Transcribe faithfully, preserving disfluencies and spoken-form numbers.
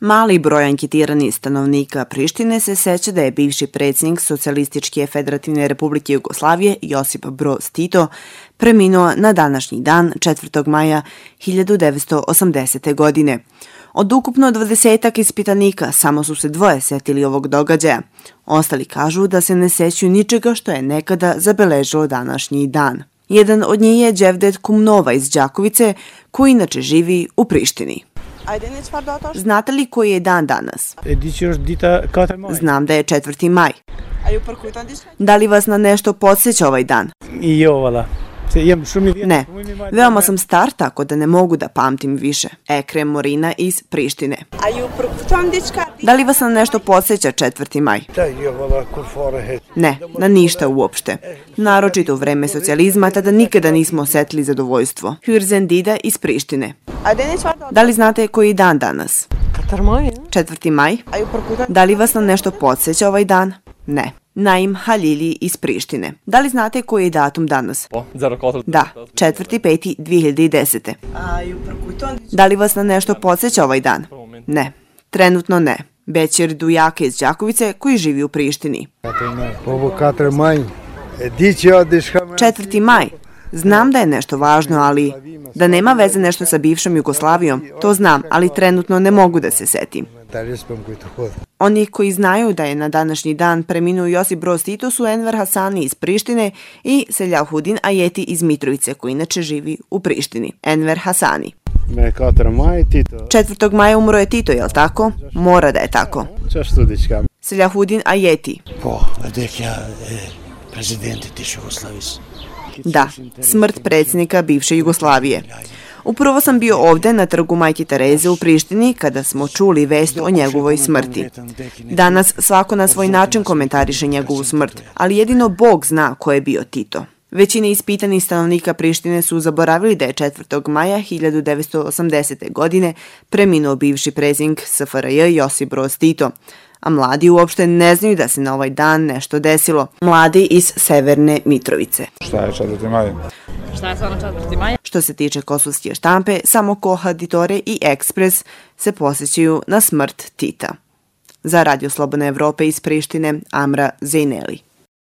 Mali broj anketiranih stanovnika Prištine se seća da je bivši predsjednik Socijalističke federativne republike Jugoslavije Josip Broz Tito preminuo na današnji dan četvrtog maja hiljadu devetsto osamdesete. godine. Od ukupno dvadesetak ispitanika samo su se dvoje setili ovog događaja. Ostali kažu da se ne sećaju ničega što je nekada zabeležilo današnji dan. Jedan od njih je Đevdet Kumnova iz Đakovice, koji inače živi u Prištini. Znate li koji je dan danas? Znam da je četvrti maj. Da li vas na nešto podsjeća ovaj dan? Ne, veoma sam star tako da ne mogu da pamtim više. Ekrem Morina iz Prištine. Da li vas na nešto podsjeća četvrti maj? Ne, na ništa uopšte. Naročito u vreme socijalizma tada nikada nismo osetili zadovoljstvo. Hürzen Dida iz Prištine. Da li znate koji je dan danas? četvrti maj. Da li vas na nešto podsjeća ovaj dan? Ne. Naim Halili iz Prištine. Da li znate koji je datum danas? Da, četvrti peti dve hiljade desete. Da li vas na nešto podsjeća ovaj dan? Ne, trenutno ne. Bećir Dujake iz Đakovice koji živi u Prištini. četvrti maj. Znam da je nešto važno, ali da nema veze nešto sa bivšom Jugoslavijom, to znam, ali trenutno ne mogu da se setim. Oni koji znaju da je na današnji dan preminuo Josip Broz Tito su Enver Hasani iz Prištine i Selahuddin Ajeti iz Mitrovice, koji inače živi u Prištini. Enver Hasani. četvrtog maja umro je Tito, jel tako? Mora da je tako. Selahuddin Ajeti. Da, smrt predsjednika bivše Jugoslavije. Upravo sam bio ovde na trgu Majke Tereze u Prištini kada smo čuli vest o njegovoj smrti. Danas svako na svoj način komentariše njegovu smrt, ali jedino Bog zna ko je bio Tito. Većina ispitanih stanovnika Prištine su zaboravili da je četvrtog maja hiljadu devetsto osamdesete. godine preminuo bivši predsjednik S F R J Josip Broz Tito. A mladi uopšte ne znaju da se na ovaj dan nešto desilo. Mladi iz Severne Mitrovice. Šta je četvrti maj? Šta je stvarno četvrti maj? Što se tiče kosovske štampe, samo Kohaditore i Ekspres se posjećaju na smrt Tita. Za Radio Slobodne Evrope iz Prištine, Amra Zejneli.